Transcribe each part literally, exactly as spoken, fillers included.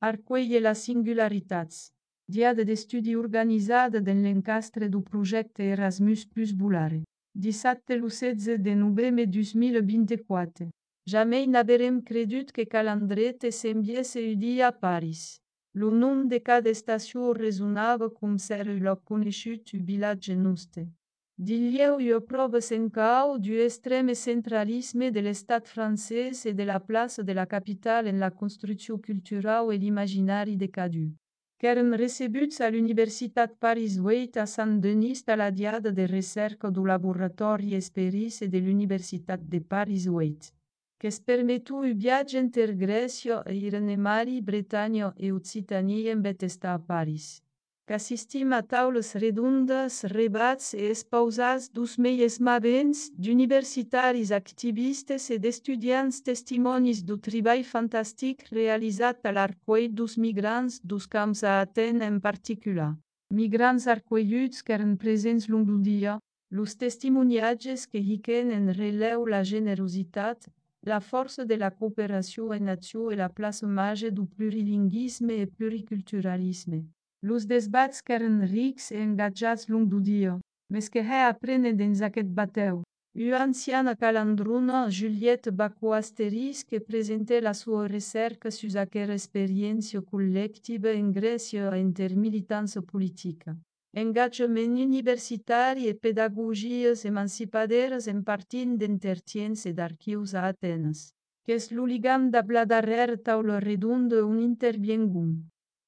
Arcueille la singularitats. Diada d'estudi organitzada dans l'encastre du projecte Erasmus Plus Bulare. Dissabte lo setze de novembre dos mil vint-i-quatre. Jamais n'haverem credut que calandret s'enviesse un dia a Paris. Lo nom de cada estació resonava com ser lo conegut u vilatge nostre. Dilieu io proves en cau du extrême centralisme de l'estat francès et de la place de la capitale en la construcció culturale et l'imaginari de cadu. Qu'èrem recebuts a l'Universitat Paris huit a Saint-Denis a la diada de recerca du Laboratori Esperice de l'Universitat de Paris huit, qu'es permetu un viatge inter Grècia e Irenemari, Bretanya e Occitania en bet estar a Paris. Qu'assistim a taules redondes, rebats e espausats dus meies mavents, d'universitaris activistes e d'estudiants testimonis du treball fantastic realitzat a l'arcueil dus migrants dus camps a Athènes en particular. Migrants arcuelluts qu'eren presents long lo dia, los testimoniatges que hiquen en releu la generositat, la força de la cooperació en nació e la place mage du plurilinguisme e pluriculturalisme. Los desbats qu'eren rics e engatjats long do dia, mes que he aprenen dins aquest bateu. U anciana calandrona Juliette Bacco-Asteris que presente la sua recerca sus aquera experiència collectiva en Grècia intermilitança politica. Engagement universitari e pedagogies emancipaderes en partint d'entertiens e d'archius a Atenes. Qu'es lo ligam d'abla darrere taula redonda un interviengum.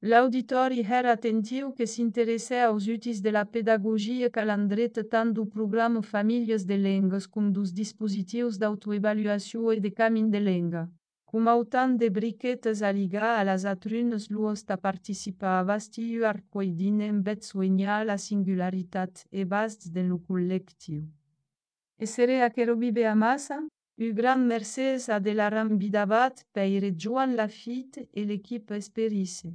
L'auditori era attentiu que s'interessè aos utis de la pedagogia calandreta tant du programa Famílies de Lengues com dos dispositius d'autoevaluació e de camin de lenga. Com autant de briquetes a ligar a las atrunes luos a participar a vastiu arcoidine en bet soignar la singularitat e basts de lo collectiu. E sere a che robibe a massa? U gran mercès a de la rambidabat peire Joan Lafitte e l'equipe Esperice.